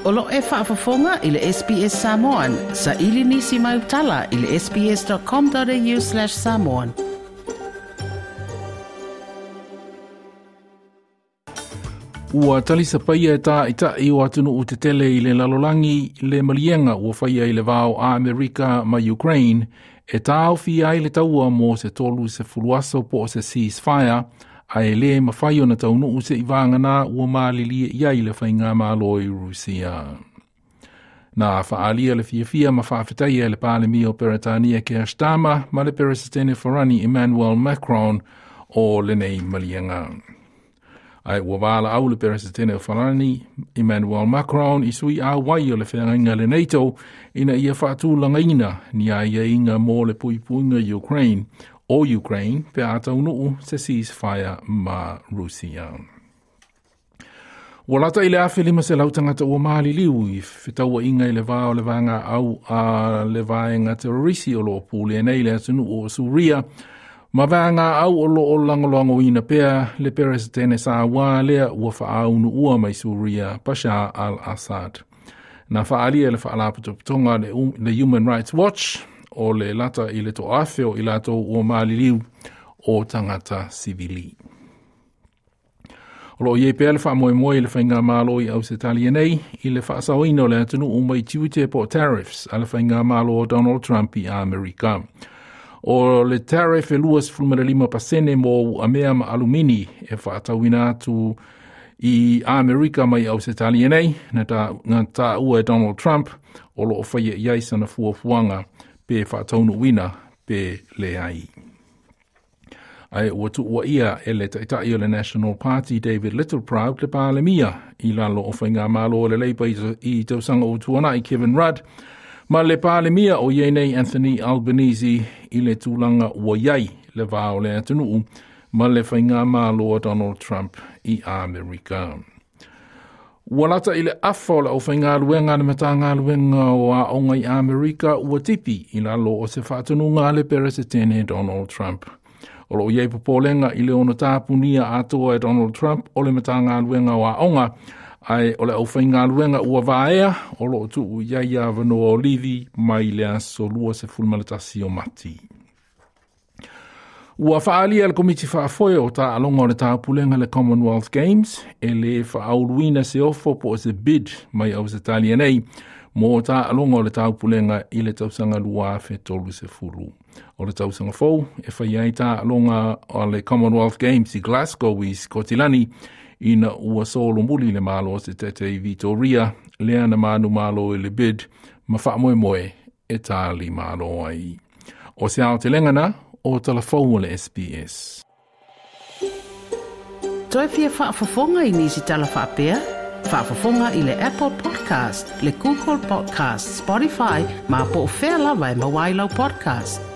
O lo e faafofoga i le SBS Samoan. Saili nisi mai utala i le sbs.com.au/samoan. Ua talisapaia e tāʻitaʻi o atunuu tetele i le lalolagi le maliega ua faia i le va o Amerika ma Ukraine e taofi ai le taua mo se 30 aso po o se ceasefire, ae lē mafai ona taunuu seʻi vagana ua malilie i ai le faigamalo i Rusia. Na faaalia le fiafia ma faafetaia e le Palemia o Peretania Keir Starmer ma le Peresetene Farani Emmanuel Macron o lenei maliega. Ae ua valaau le Peresetene o Farani Emmanuel Macron i sui auai o le feagaiga le NATO ina ia faatulagaina ni aiaiga mo le puipuiga Ukraine o Ukraine pe a taunuu se ceasefire ma Rusia. Ua lata i le 1,500 tagata ua maliliu i fetauaiga i le va o le vaegaau a le vaega terorisi o loo pulea nei le atunuu o Suria ma vaegaau o loo lagolagoina pea le Peresetene sauā lea ua faaunuua mai Suria Bashar al-Assad. Na faaalia le faalapotopotoga le Human Rights Watch o le lata i le 1,000 o i latou ua maliliu o tagata sivili. O loo iai pea le faamoemoe i le faigamalo i Ausetalia nei i le faasaoina o le atunuu mai tiute po o tariffs a le faigamalo o Donald Trump i Amerika. O le tariff e 25% mo uamea ma alumini e faatauina atu i Amerika mai Ausetalia nei, na taua e Donald Trump o loo faia i ai sana fuafuaga pe faataunuuina pe leai. Ae ua tuuaia e le taʻitaʻi o le National Party David Littleproud le Palemia i lalo o faigamalo o le Labour i tausaga ua tuanaʻi Kevin Rudd ma le Palemia o iai nei Anthony Albanese i le tulaga ua iai le va o le atunuu ma le faigamalo a Donald Trump i Amerika. Ua lata i le afa o le aufaigaluega le Matagaluega o Aoga i Amerika ua tipi i lalo o se faatonuga a le Peresetene Donald Trump. O loo iai popolega i le ono tapunia atoa e Donald Trump o le Matagaluega o Aoga, ae o le aufaigaluega ua vaea o loo tuu i ai avanoa o livi mai le aso 21 o Mati. Ua faaalia le Komiti Faafoe o Taaloga o le Taupulega le Commonwealth Games e lē faauluina se ofo po o se bid mai Ausetalia nei mo taaloga o le Taupulega i le tausaga 2030. O le tausaga fou e faia ai taaloga o le Commonwealth Games i Glasgow i Sikotilani ina ua solomuli le malo o se tete i Vitoria lea na manumalo i le bid ma faamoemoe e tali malo ai. O se aotelega na o talafou o le SBS. Toe fia faafofoga i nisi tala faapea? Faafofoga i le Apple Podcast, le Google Podcast, Spotify, ma po o fea lava e maua ai lau podcast.